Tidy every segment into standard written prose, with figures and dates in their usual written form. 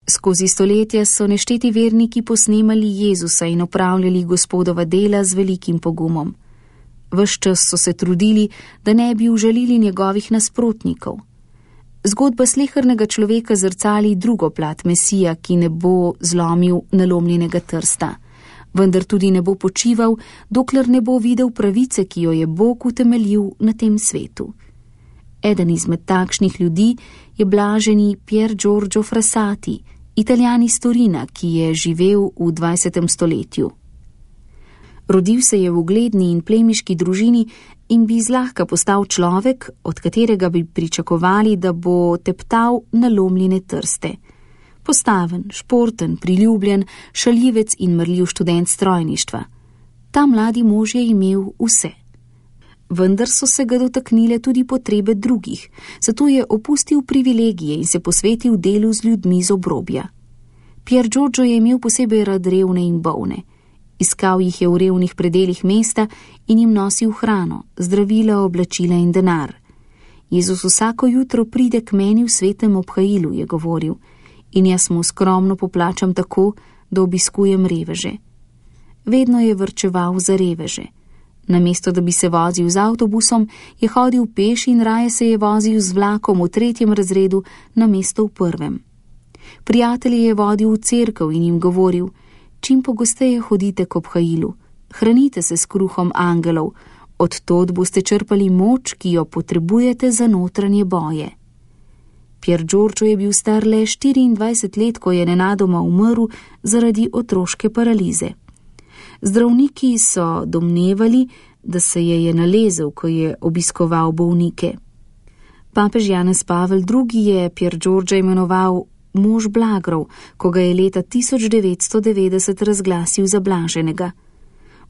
Skozi stoletja so nešteti verniki posnemali Jezusa in opravljali Gospodova dela z velikim pogumom. Ves čas so se trudili, da ne bi užalili njegovih nasprotnikov. Zgodba slehernega človeka zrcali drugo plat Mesija, ki ne bo zlomil nalomljenega trsta, vendar tudi ne bo počival, dokler ne bo videl pravice, ki jo je Bog utemeljil na tem svetu. Eden izmed takšnih ljudi je blaženi Pier Giorgio Frassati, Italijan iz Torina, ki je živel v 20. stoletju. Rodil se je v ugledni in plemiški družini in bi zlahka postal človek, od katerega bi pričakovali, da bo teptal nalomljene trste. Postaven, športen, priljubljen, šaljivec in marljiv študent strojništva. Ta mladi mož je imel vse. Vendar so se ga dotaknile tudi potrebe drugih, zato je opustil privilegije in se posvetil delu z ljudmi z obrobja. Pier Giorgio je imel posebej rad revne in bolne. Iskal jih je v revnih predelih mesta in jim nosil hrano, zdravila, oblačila in denar. Jezus vsako jutro pride k meni v svetem obhajilu, je govoril, in jaz mu skromno poplačam tako, da obiskujem reveže. Vedno je varčeval za reveže. Namesto da bi se vozil z avtobusom, je hodil peš in raje se je vozil z vlakom v 3. razredu namesto v 1. Prijatelje je vodil v cerkev in jim govoril: čim pogosteje hodite k obhajilu, hranite se s kruhom angelov, od tod boste črpali moč, ki jo potrebujete za notranje boje. Pier Giorgio je bil star le 24 let, ko je nenadoma umrl zaradi otroške paralize. Zdravniki so domnevali, da se je nalezel, ko je obiskoval bolnike. Papež Janez Pavel II. Je Pier Giorgia imenoval mož blagrov, ko ga je leta 1990 razglasil za blaženega.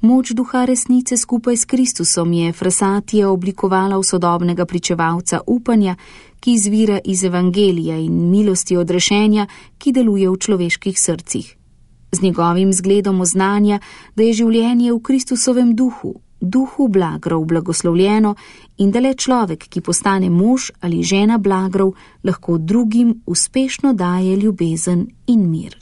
Moč duha resnice skupaj s Kristusom je Frassatija oblikovala v sodobnega pričevalca upanja, ki izvira iz evangelija in milosti odrešenja, ki deluje v človeških srcih. Z njegovim zgledom oznanja, da je življenje v Kristusovem duhu blagrov blagoslovljeno in da le človek, ki postane mož ali žena blagrov, lahko drugim uspešno daje ljubezen in mir.